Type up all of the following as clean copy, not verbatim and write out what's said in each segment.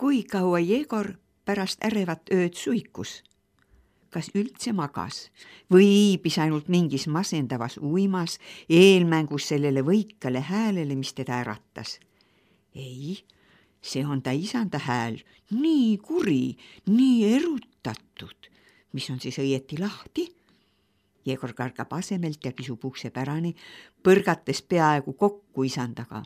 kui kaua Jegor pärast ärevat ööd suikus? Kas üldse magas või iibis ainult mingis masendavas uimas eelmängus sellele võikale häälele, mis teda äratas? Ei, see on ta isanda hääl, nii kuri, nii erutatud. Mis on siis õieti lahti? Jegor kargab asemelt ja kisub ukse pärani, põrgates peaaegu kokku isandaga.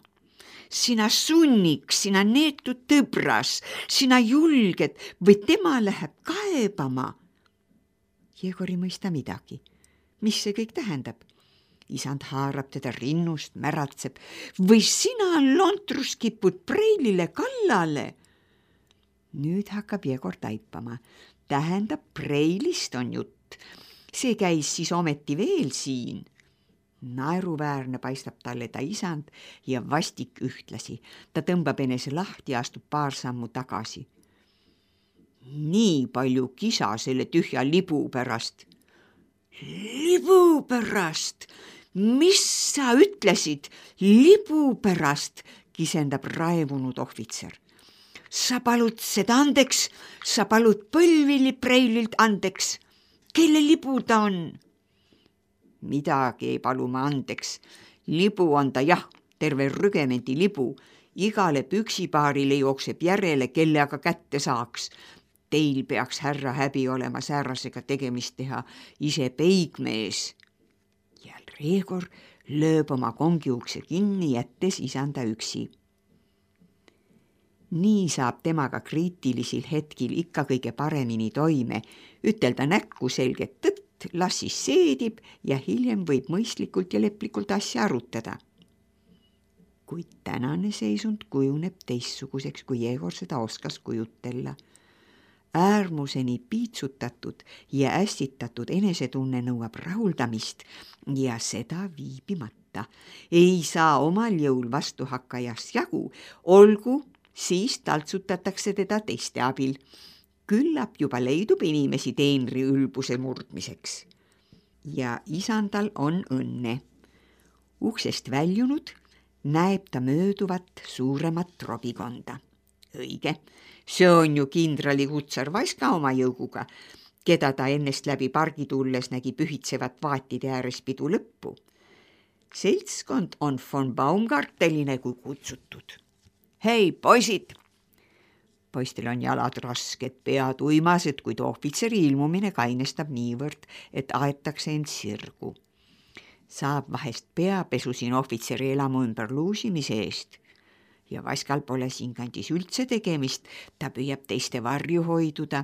Sina sunniks, sina neetud tõbras, sina julged või tema läheb kaebama. Jegor ei mõista midagi. Mis see kõik tähendab? Isand haarab teda rinnust, märatseb. Või sina lontrus kipud preilile kallale? Nüüd hakkab Jegor taipama. Tähendab, preilist on jutt. See käis siis ometi veel siin. Naeruväärne paistab talle ta isand ja vastik ühtlasi. Ta tõmbab enese lahti ja astub paar sammu tagasi. Nii palju kisa selle tühja libu pärast. Libu pärast? Mis sa ütlesid? Libu pärast, kisendab raevunud ohvitser. Sa palud seda andeks, sa palud Põlvili preililt andeks. Kelle libu ta on? Midagi ei palu ma andeks. Libu on ta jah, terve rügemendi libu. Igale püksipaarile jookseb järele, kelle aga kätte saaks. Teil peaks härra häbi olema säärasega tegemist teha, ise peigmees. Ja Jegor lööb oma kongiukse kinni, jättes isanda üksi. Nii saab temaga kriitilisel hetkil ikka kõige paremini toime, ütelda näkku selget tõtt, las siis seedib ja hiljem võib mõistlikult ja leplikult asja arutada. Kuid tänane seisund kujuneb teistsuguseks, kui Jegor seda oskas kujutella. Äärmuseni piitsutatud ja ässitatud enesetunne nõuab rahuldamist ja seda viibimata. Ei saa omal jõul vastuhakkajast jagu, olgu, siis taltsutatakse teda teiste abil. Küllap juba leidub inimesi teenri ülbuse murdmiseks. Ja isandal on õnne. Uksest väljunud näeb ta mööduvat suuremat robikonda. Õige, see on ju kindrali kutsar Vaska oma jõuguga, keda ta ennest läbi pargi tulles nägi pühitsevat vaatide ääres pidu lõppu. Seltskond on von Baumgarteline kui kutsutud. Hei, poisid! Poistel on jalad rasked, pead uimased, kuid ohvitseri ilmumine kainestab niivõrd, et aetakse end sirgu. Saab vahest peapesu siin ohvitseri elamu ümber luusimise eest. Ja Vaskal pole siinkandis üldse tegemist, ta püüab teiste varju hoiduda.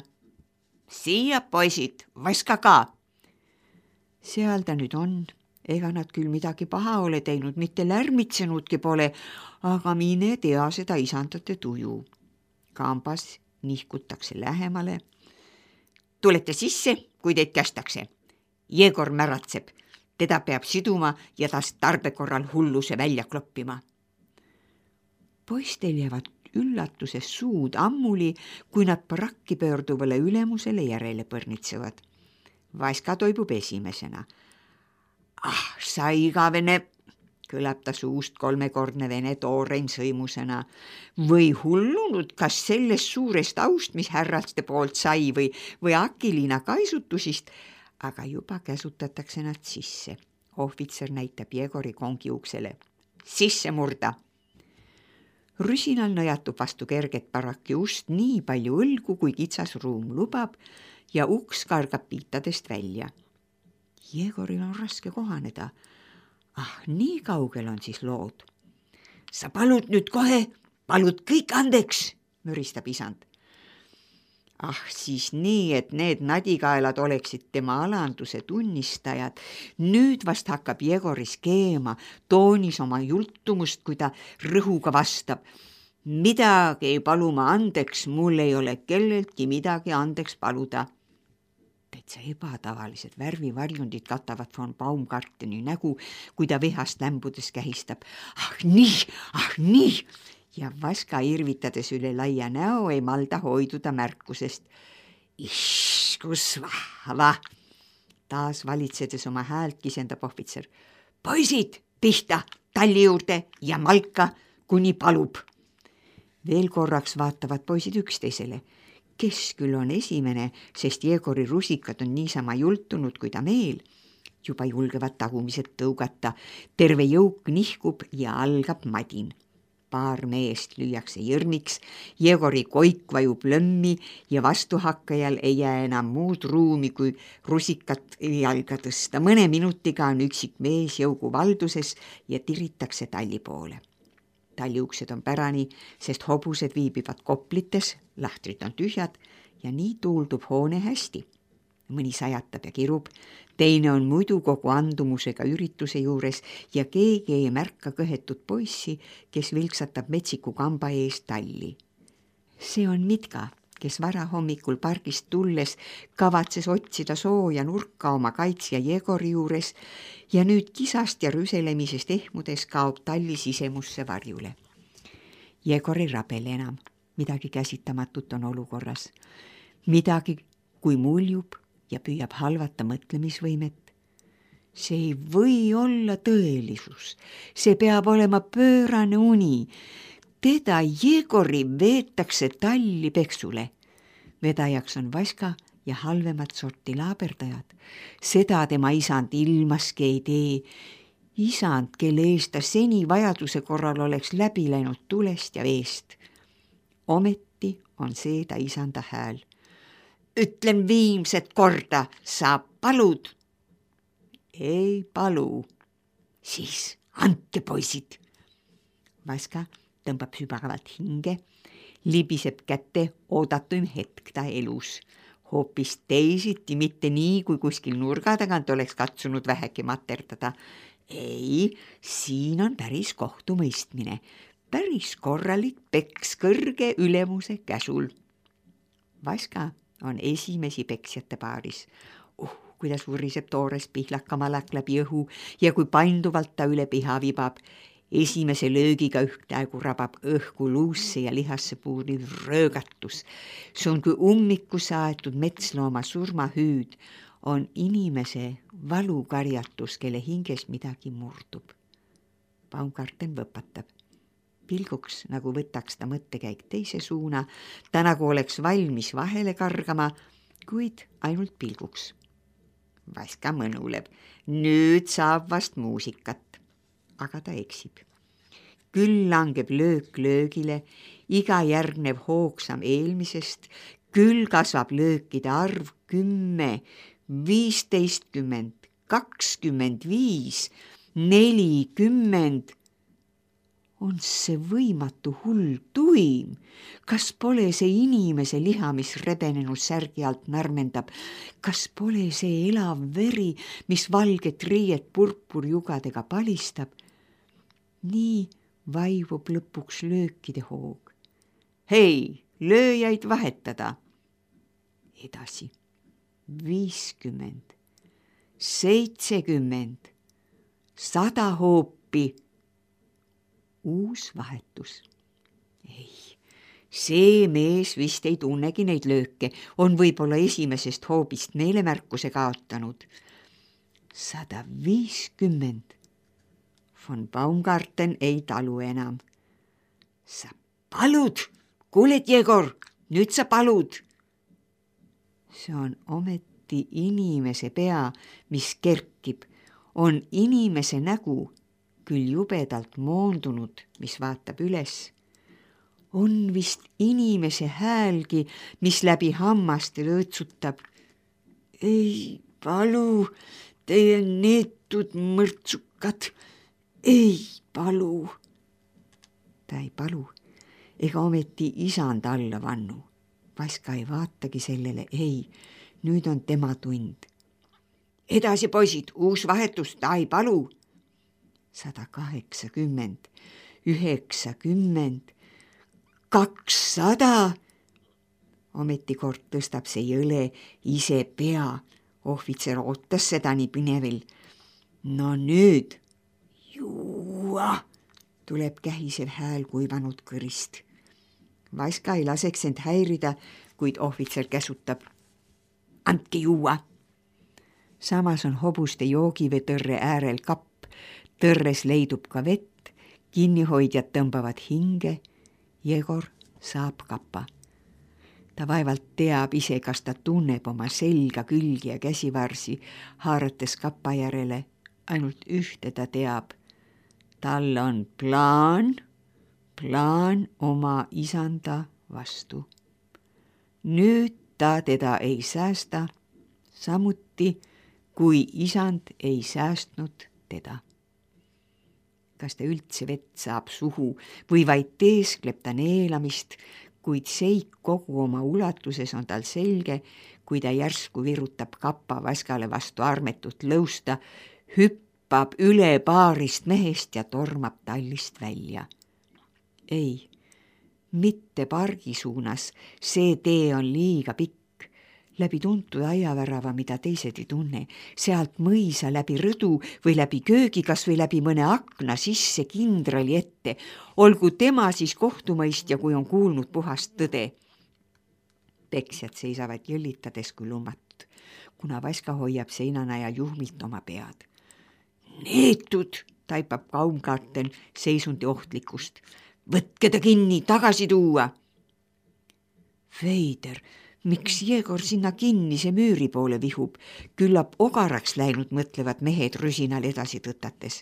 Siia, poisid, Vaska ka! Seal ta nüüd on, ega nad küll midagi paha ole teinud, mitte lärmitsenudki pole, aga mine tea seda isandate tuju. Kambas nihkutakse lähemale. Tulete sisse, kui teid kästakse. Jegor märatseb, teda peab siduma ja tast tarbekorral hulluse välja kloppima. Poistel jäävad üllatuses suud ammuli, kui nad parakki pöörduvale ülemusele järele põrnitsevad. Vaska toibub esimesena. Sa igavene, kõlab ta suust kolmekordne vene toorein sõimusena. Või hullunud, kas sellest suurest aust, mis härraste poolt sai või Akiliina kaisutusist, aga juba käsutatakse nad sisse. Ohvitser näitab Jegori kongi uksele. Sisse murda! Rüsinal nõjatub vastu kerget paraki ust nii palju õlgu, kui kitsas ruum lubab ja uks kargab piitadest välja. Jegoril on raske kohaneda. Nii kaugel on siis lood. Sa palud nüüd kohe, palud kõik andeks, müristab isand. Siis nii, et need nadikaelad oleksid tema alanduse tunnistajad. Nüüd vast hakkab Jegoris keema, toonis oma jultumust, kui ta rõhuga vastab. Midagi ei palu ma andeks, mul ei ole kelleltki midagi andeks paluda. Täitsa ebatavalised värvivarjundid katavad von Baumgarteni nägu, kui ta vihast lämbudes kähistab. Nii! Ja Vaska irvitades üle laia näo ei malda hoiduda märkusest. Kus vahva! Taas valitsedes oma häält kisendab ohvitser. Poisid, pihta, talli juurde ja malka, kuni palub. Veel korraks vaatavad poisid üksteisele. Kes küll on esimene, sest Jegori rusikad on niisama jultunud kui ta meel. Juba julgevad tagumised tõugata. Terve jõuk nihkub ja algab madin. Paar meest lüüakse jõrniks, Jegori koik vajub lömmi ja vastuhakkajal ei jää enam muud ruumi, kui rusikat jalga tõsta. Mõne minutiga on üksik mees jõugu valduses ja tiritakse talli poole. Talli uksed on pärani, sest hobused viibivad koplites, lahtrid on tühjad ja nii tuuldub hoone hästi. Mõni sajatab ja kirub, teine on muidu kogu andumusega ürituse juures ja keegi ei märka kõhetut poissi, kes vilksatab metsiku kamba eest talli. See on Mitka, kes varahommikul pargist tulles kavatses otsida sooja nurka oma kaitsja Jegori juures ja nüüd kisast ja rüselemisest ehmudes kaob talli sisemusse varjule. Jegor ei rabele enam, midagi käsitamatut on olukorras. Midagi, kui muljub ja püüab halvata mõtlemisvõimet. See ei või olla tõelisus, see peab olema pöörane uni. Teda Jegori veetakse talli peksule. Vedajaks on Vaska ja halvemat sorti laaberdajad. Seda tema isand ilmaski ei tee. Isand, kelle eest ta seni vajaduse korral oleks läbi läinud tulest ja veest. Ometi on see ta isanda hääl. Ütlen viimset korda, sa palud. Ei palu. Siis andke poisid. Vaska tõmbab sügavalt hinge, libiseb kätte oodatuim hetk ta elus. Hoopis teisiti, mitte nii, kui kuskil nurga tagant oleks katsunud vähegi materdada. Ei, siin on päris kohtumõistmine. Päris korralik peks kõrge ülemuse käsul. Vaska on esimesi peksjate paaris. Kuidas vuriseb toores pihlakamalak läbi õhu ja kui painduvalt ta üle piha vibab. Esimese löögiga ühtäegu rabab õhku luusse ja lihasse puuriv röögatus. See on kui ummiku saetud metslooma surmahüüd, on inimese valukarjatus, kelle hinges midagi murdub. Baumgarten võpatab. Pilguks, nagu võtaks ta mõttekäik teise suuna, ta nagu oleks valmis vahele kargama, kuid ainult pilguks. Vaska mõnuleb. Nüüd saab vast muusikat. Aga ta eksib. Küll langeb löök löögile, iga järgnev hoogsam eelmisest, küll kasvab löökide arv 10, 15, 25, 40. On see võimatu hull tuim? Kas pole see inimese liha, mis rebenenud särgi alt närmendab? Kas pole see elav veri, mis valget riiet purpurjugadega palistab? Nii vaivub lõpuks löökide hoog. Hei, lööjaid vahetada. Edasi. 50, 70, 100 hoopi. Uus vahetus. Ei, see mees vist ei tunnegi neid lööke, on võib-olla esimesest hoobist meelemärkuse kaotanud. 150. Von Baumgarten ei talu enam. Sa palud, kuuled, Jegor, nüüd sa palud. See on ometi inimese pea, mis kerkib, on inimese nägu, küll jubedalt moondunud, mis vaatab üles. On vist inimese häälgi, mis läbi hammaste lõõtsutab. Ei palu, teie neetud mõrtsukad, ei palu. Ta ei palu, ega ometi isand alla vannu. Vaska ei vaatagi sellele, ei, nüüd on tema tund. Edasi, poisid, uus vahetus, ta ei palu. 180, 90, 200. Ometi kord tõstab see jõle ise pea. Ohvitser ootas seda nii pinevil. No nüüd. Juua, tuleb kähisev hääl kuivanud kõrist. Vaska ei laseks end häirida, kuid ohvitser käsutab. Andke juua. Samas on hobuste joogivetõrre äärel kapp. Tõrres leidub ka vett, kinnihoidjad tõmbavad hinge. Jegor saab kapa. Ta vaevalt teab ise, kas ta tunneb oma selga, külgi ja käsivarsi, haarates kapa järele. Ainult ühte ta teab. Tal on plaan oma isanda vastu. Nüüd ta teda ei säästa, samuti kui isand ei säästnud teda. Kas ta üldse vett saab suhu või vaid teeskleb ta neelamist, kuid seik kogu oma ulatuses on tal selge, kui ta järsku virutab kapa vaskale vastu armetut lõusta, hüppab üle paarist mehest ja tormab tallist välja. Ei, mitte pargi suunas, see tee on liiga pikk. Läbi tuntud aiavärava, mida teised ei tunne, sealt mõisa läbi rõdu või läbi köögi, kas või läbi mõne akna sisse kindrali ette. Olgu tema siis kohtumõistja, kui on kuulnud puhast tõde. Peksjad seisavad jõllitades kui lummatud, kuna Vaska hoiab seinana ja juhmilt oma pead. Neetud, taipab Kaumgarten seisundi ohtlikkust. Võtke ta kinni, tagasi tuua. Veider, miks Jegor sinna kinnise müüri poole vihub? Küllap ogaraks läinud, mõtlevad mehed rüsinal edasi tõtates.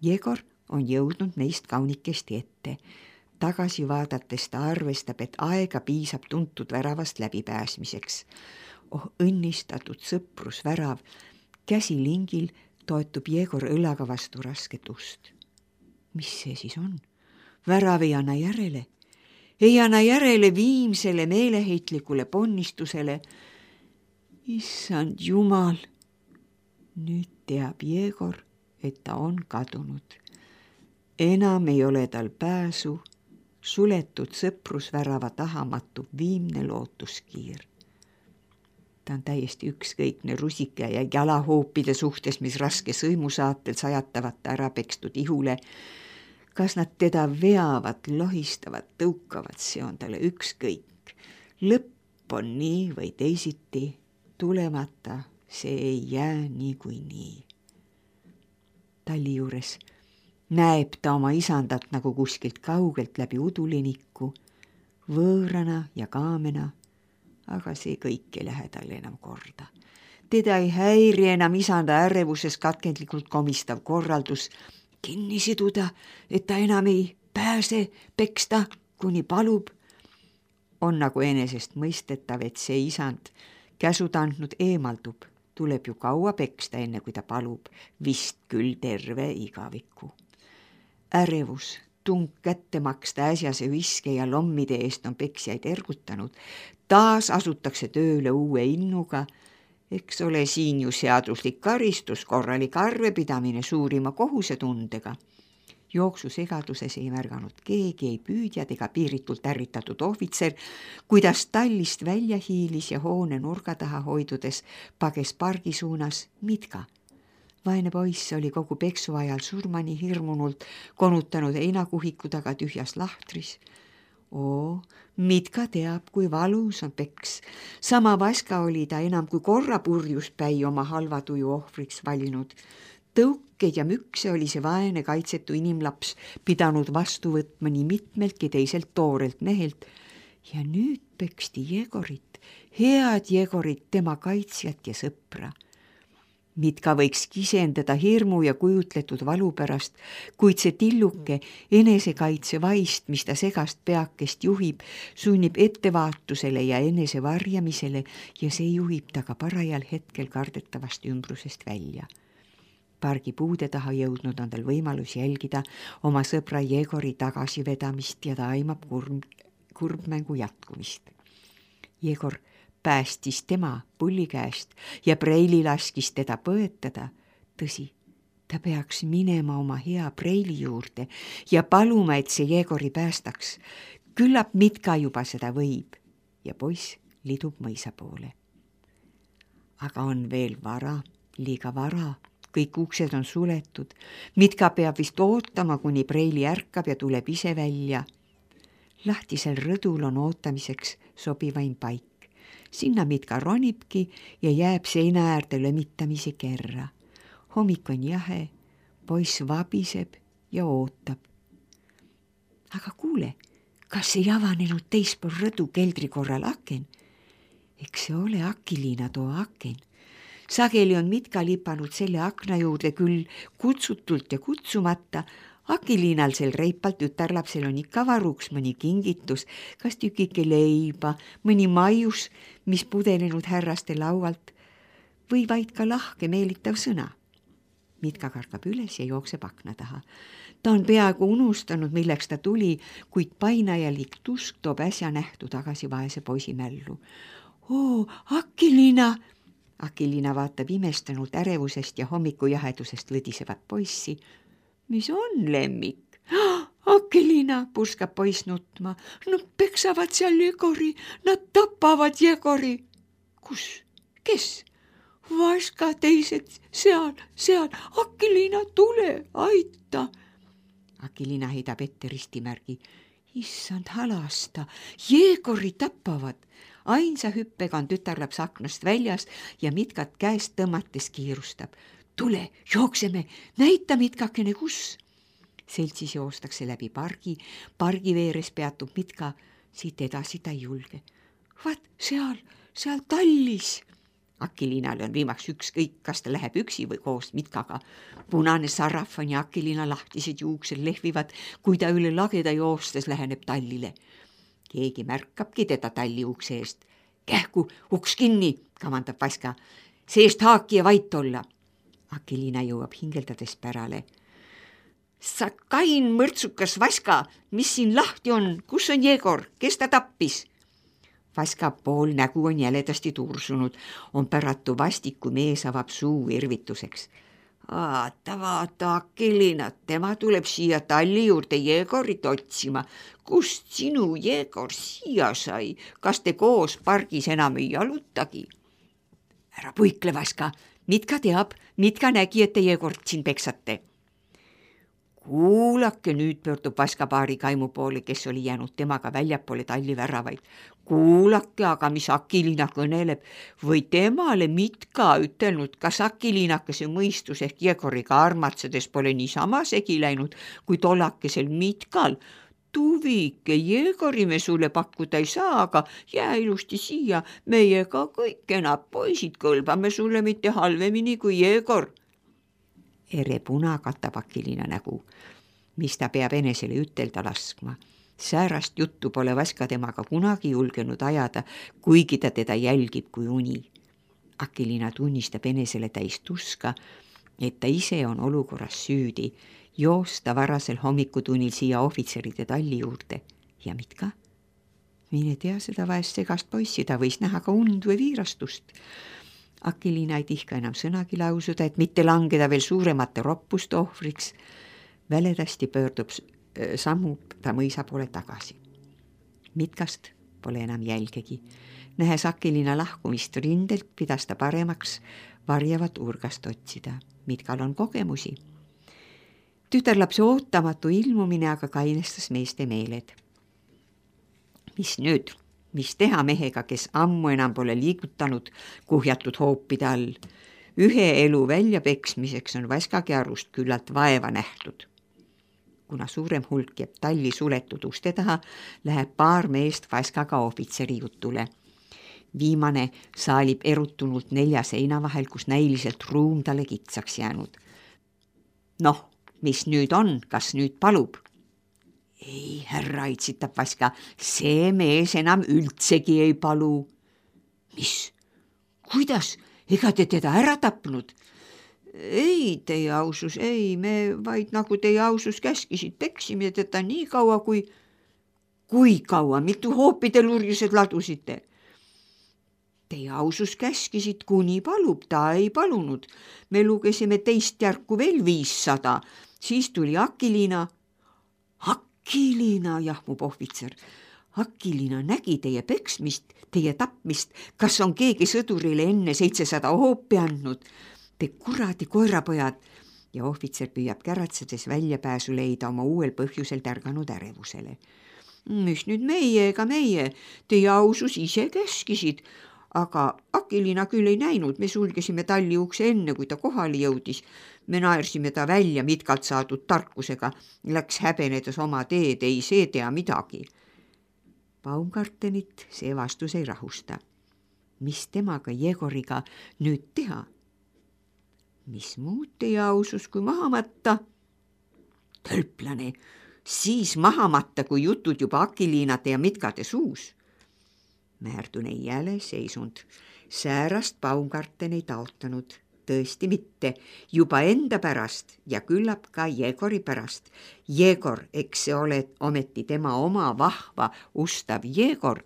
Jegor on jõudnud neist kaunikesti ette. Tagasi vaadates ta arvestab, et aega piisab tuntud väravast läbipääsmiseks. Õnnistatud sõprusvärav. Käsi lingil toetub Jegor õlaga vastu rasket ust. Mis see siis on? Värav ei anna järele. Ei anna järele viimsele meeleheitlikule ponnistusele. Issand jumal! Nüüd teab Jegor, et ta on kadunud. Enam ei ole tal pääsu. Suletud sõprusvärava taha matub viimne lootuskiir. Ta on täiesti ükskõikne rusika ja jalahoopide suhtes, mis raske sõimusaatel sajatavad ta ära pekstud ihule. Kas nad teda veavad, lohistavad, tõukavad, see on talle ükskõik. Lõpp on nii või teisiti, tulemata, see ei jää nii kui nii. Talli juures näeb ta oma isandat nagu kuskilt kaugelt läbi uduliniku, võõrana ja kaamena, aga see kõik ei lähe talle enam korda. Teda ei häiri enam isanda ärevuses katkendlikult komistav korraldus kinni siduda, et ta enam ei pääse peksta, kuni palub. On nagu enesest mõistetav, et see isand käsud andnud eemaldub. Tuleb ju kaua peksta, enne kui ta palub, vist küll terve igaviku. Ärevus, tung kätte maksta äsjase viske ja lommide eest on peksjaid ergutanud. Taas asutakse tööle uue innuga. Eks ole siin ju seaduslik karistus, korralik arvepidamine suurima kohusetundega. Jooksu segaduses ei märganud keegi, ei püüdjad ega piiritult ärritatud ohvitser, kuidas tallist välja hiilis ja hoone nurga taha hoidudes pages pargi suunas Mitka. Vaene poiss oli kogu peksu ajal surmani hirmunult konutanud heinakuhiku taga tühjas lahtris. Mitka teab, kui valus on peks. Sama Vaska oli ta enam kui korra purjuspäi oma halva tuju ohvriks valinud. Tõukeid ja mükse oli see vaene kaitsetu inimlaps pidanud vastu võtma nii mitmeltki teiselt toorelt mehelt. Ja nüüd peksti Jegorit, head Jegorit, tema kaitsjat ja sõpra. Mitka võiks kisendada hirmu ja kujutletud valu pärast, kuid see tilluke enesekaitse vaist, mis ta segast peakest juhib, sunnib ettevaatusele ja enese varjamisele ja see juhib ta ka parajal hetkel kardetavast ümbrusest välja. Pargi puude taha jõudnud on tal võimalus jälgida oma sõbra Jegori tagasivedamist ja ta aimab kurbmängu jätkumist. Jegor päästis tema pulli käest ja Preili laskis teda põetada. Tõsi, ta peaks minema oma hea Preili juurde ja paluma, et see Jegori päästaks. Küllap Mitka juba seda võib ja poiss lidub mõisa poole. Aga on veel vara, liiga vara. Kõik uksed on suletud. Mitka peab vist ootama, kuni Preili ärkab ja tuleb ise välja. Lahtisel rõdul on ootamiseks sobivaim paik. Sinna Mitka ronibki ja jääb seina äärde lömitamise kerra. Hommik on jahe, poiss vabiseb ja ootab. Aga kuule, kas ei avanenud teispool rõdu keldri korral aken? Eks see ole Akiliina too aken. Sageli on Mitka lipanud selle akna juurde küll kutsutult ja kutsumata. Akiliinal sel reipal tütarlapsel on ikka varuks mõni kingitus, kas tükike leiba, mõni maius, mis pudelenud härraste laualt või vaid ka lahke meelitav sõna. Mitka kargab üles ja jookseb akna taha. Ta on peaaegu unustanud, milleks ta tuli, kuid painajalik tusk toob äsja nähtu tagasi vaese poisi mällu. Oo, Akiliina! Akiliina vaatab imestunult ärevusest ja hommikujahedusest võdisevat poissi. Mis on, lemmik? Akiliina, purskab poiss nutma. Nad peksavad seal Jegori, nad tapavad Jegori. Kus? Kes? Vaska teised, seal. Akiliina, tule, aita. Akiliina heidab ette ristimärgi. Issand halasta, Jegori tapavad. Ainsa hüppega on tütarlaps aknast väljas ja Mitkat käest tõmmates kiirustab. Tule, jookseme, näita Mitkakene, kus. Seltsis joostakse läbi pargi veeres peatub Mitka, siit edasi ta ei julge. Vaat seal tallis. Akiliinale on viimaks ükskõik, kas ta läheb üksi või koos Mitkaga. Punane sarafan ja Akiliina lahtised juuksed lehvivad, kui ta üle lageda joostes läheneb tallile. Keegi märkabki teda talli ukse eest. Kähku, uks kinni, kamandab Vaska. Seest haaki ja vait olla. Akiliina jõuab hingeldades pärale. Sa kain mõrtsukas Vaska, mis siin lahti on, kus on Jegor, kes ta tappis? Vaska pool nägu on jäledasti tursunud, on päratu vastik, kui mees avab suu irvituseks. Vaata, Akiliina, tema tuleb siia talli juurde Jegorit otsima. Kust sinu Jegor siia sai? Kas te koos pargis enam ei jalutagi? Ära puikle, Vaska. Mitka teab, Mitka nägi, et te Jegort siin peksate. Kuulake, nüüd pöördub Vaska paari kaimu poole, kes oli jäänud temaga väljapoole talli väravaid. Kuulake, aga mis Akiliina kõneleb või temale Mitka ütelnud, kas Akiliinakese mõistus ehk Jegoriga armatsedes pole niisama segi läinud, kui tollakesel Mitkal. Tuvike, Jegori me sulle pakkuda ei saa, aga jää ilusti siia, meiega kõik kenad poisid kõlbame sulle mitte halvemini kui Jegor. Ere puna katab Akiliina nägu, mis ta peab enesele ütelda laskma. Säärast juttu pole Vaska temaga kunagi julgenud ajada, kuigi ta teda jälgib kui uni. Akiliina tunnistab enesele täis tuska, et ta ise on olukorras süüdi, joosta varasel hommikutunnil siia ohvitseride talli juurde. Ja Mitka? Mine tea seda vaest segast poissi, ta võis näha ka und või viirastust. Akiliina ei tihka enam sõnagi lausuda, et mitte langeda veel suuremate roppuste ohvriks. Väledasti pöördub sammub ta mõisa poole tagasi. Mitkast pole enam jälgegi. Nähes Akiliina lahkumist rindelt, pidas ta paremaks varjavat urgast otsida. Mitkal on kogemusi. Tütarlapse ootamatu ilmumine aga kainestas meeste meeled. Mis nüüd? Mis teha mehega, kes ammu enam pole liigutanud kuhjatud hoopide all? Ühe elu väljapeksmiseks on Vaskagi arust küllalt vaeva nähtud. Kuna suurem hulk jääb talli suletud uste taha, läheb paar meest Vaskaga ohvitseri jutule. Viimane saalib erutunult 4 seina vahel, kus näiliselt ruum talle kitsaks jäänud. Noh, mis nüüd on, kas nüüd palub? Ei, härra, itsitab Vaska, see mees enam üldsegi ei palu. Mis? Kuidas? Ega te teda ära tapnud? Ei, teie ausus, ei, me vaid nagu teie ausus käskisid, peksime teda nii kaua, kui kaua, mitu hoopide lurjused ladusite? Teie ausus käskisid, kuni palub, ta ei palunud. Me lugesime teist järku veel 500, siis tuli Akiliina. Akiliina, jahmub ohvitser. Akiliina nägi teie peksmist, teie tapmist. Kas on keegi sõdurile enne 700 hoopi andnud? Te kuradi koerapojad. Ja ohvitser püüab käratsedes väljapääsu leida oma uuel põhjusel tärganud ärevusele. Mis nüüd meie ega meie? Teie ausus ise käskisid. Aga Akiliina küll ei näinud, me sulgesime talli ukse enne, kui ta kohale jõudis. Me naersime ta välja Mitkalt saadud tarkusega, läks häbenedes oma teed, ei see tea midagi. Baumgartenit see vastus ei rahusta. Mis temaga Jegoriga nüüd teha? Mis muud teie ausus kui maha matta? Tölplane, siis maha matta, kui jutud juba akiliinade ja mitkade suus. Märdun ei jälle seisund. Säärast Baumgarten ei taotanud. Tõesti mitte, juba enda pärast ja küllap ka Jegori pärast. Jegor, eks see ole ometi tema oma vahva, ustav Jegor,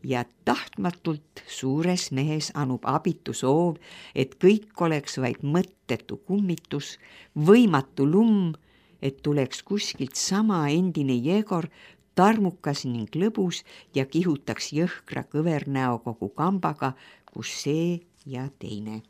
ja tahtmatult suures mehes anub abitu soov, et kõik oleks vaid mõttetu kummitus, võimatu lumm, et tuleks kuskilt sama endine Jegor, tarmukas ning lõbus ja kihutaks jõhkra kõvernäo kogu kambaga, kus see ja teine.